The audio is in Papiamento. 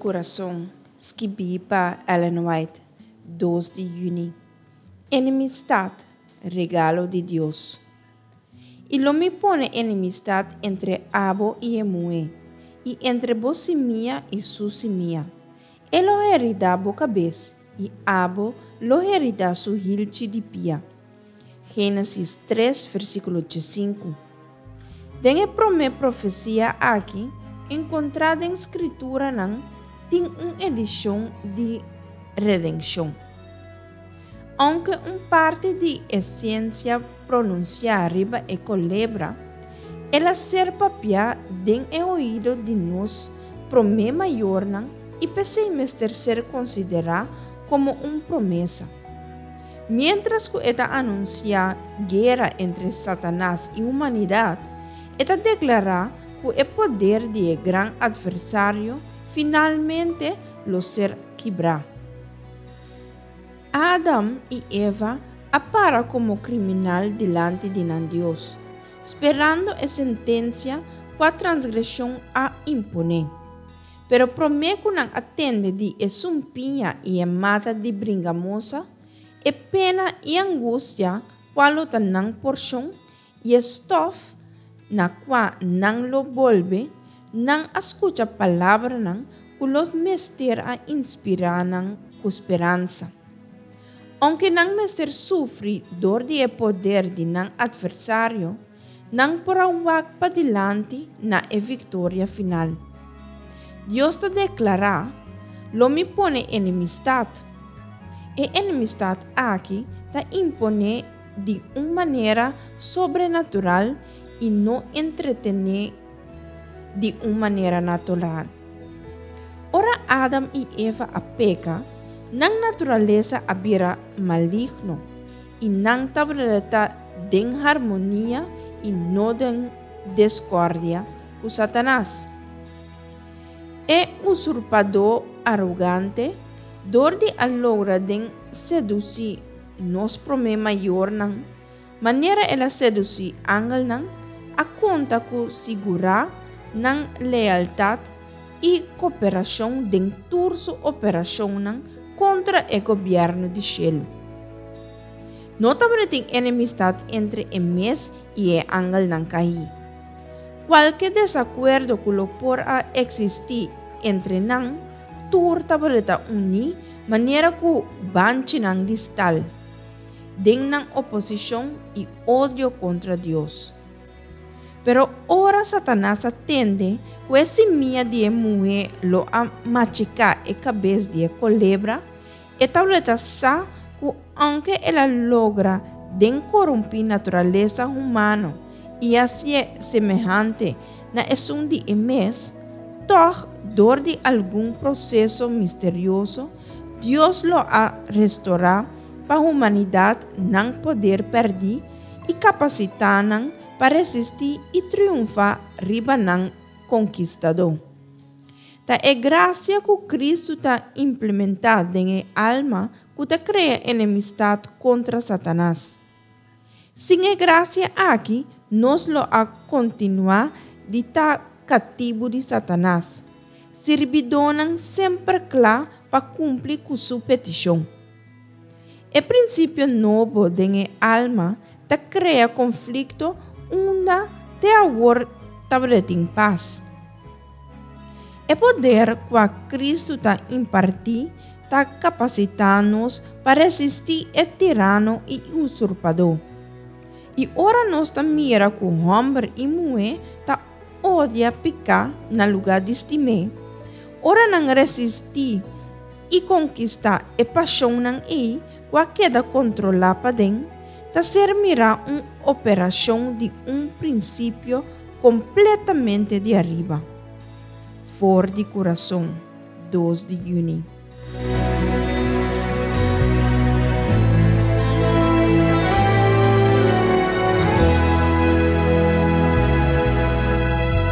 Kurason, skibí pa Ellen White, dos di yüni. Enemistat, regalo di Dios. I lo mi pone enemistat entre abo i e muhé, i entre bo simia i su simia. E lo heridá bo kabes, i abo lo heridá su hilchi di pia. Génesis tres, versíkulo diesinku. Den e promé profesia aki, enkontrá den Skrituranan, tin un edishon di redenshon. Ounke un parti di e siensia pronunsiá riba e kolebra, el a ser papiá den e oido di nos promé mayornan i p'esei mester ser konsiderá komo un promesa. Miéntras ku e ta anunsiá guera entre Satanas i humanidat, e ta deklará ku e poder di e gran atversario finalmente lo ser kibrá. Adam i Eva a para komo kriminal dilanti di nan Dios, sperando e sentensia kua transgreshon a imponé. Pero promé ku nan a tende di e sumpiña i e mata di bringamosa, e pena i angustia kua lo ta nan porshon i e stòf na kua nan lo bolbe, nan a skucha palabranan ku lo mester a inspirá nan ku speransa. Ounke nan mester sufri dor di e poder di nan atversario, Nan por a wak padilanti na e viktoria final. Dios ta deklará, Lo mi pone enemistat. E enemistat aki ta imponé di un manera sobrenatural i no entretené di un manera natural. Ora Adam i Eva a peka, nan naturalesa a bira maligno. I nan tabata den harmonia i no den deskordia ku Satanas. E usurpadó arogante, dor di a logra den sedusí nos promé mayornan, manera el a sedusí angelnan, a konta ku sigurá nan lealtat i koperashon den tur su operashonnan kontra e gobièrnu di shelu. No tabatin enemistat entre e mes i e angelnan kaí. Kualke desakuerdo ku lo por a eksistí entre nan, tur tabata uní manera ku banchinan di stal, den nan oposishon i odio kontra Dios. Pero ora Satanas a tende ku e simia di e muhé lo a machiká e kabes di e kolebra, e tabata sa ku ounke el a logra den korumpí naturalesa humano i hasié semehante na esun di e mes, tòg dor di algun proseso misterioso Dios lo a restorá pa humanidat nan poder pèrdí i kapasitá nan pa resistí i triunfá riba nan konkistadó. Ta e grasia ku Kristu ta implementá den e alma ku ta krea enemistat kontra Satanas. Sin e grasia aki, nos lo a kontinuá di ta katibu di Satanas, sirbidónan semper kla pa kumpli ku su petishon. E prinsipio nobo den e alma ta krea konflikto unda te awor tabatin pas. E poder kua Kristu ta impartí ta kapasitá nos pa resistí e tirano i usurpadó. I ora nos ta mira ku hòmber i muhé ta odia piká na lugá di stim'é, ora nan resistí i konkistá e pashonnan ei ku a keda kontrolá paden, ta ser mirá un operashon di un prinsipio kompletamente di ariba. For di kurason, dos di yüni.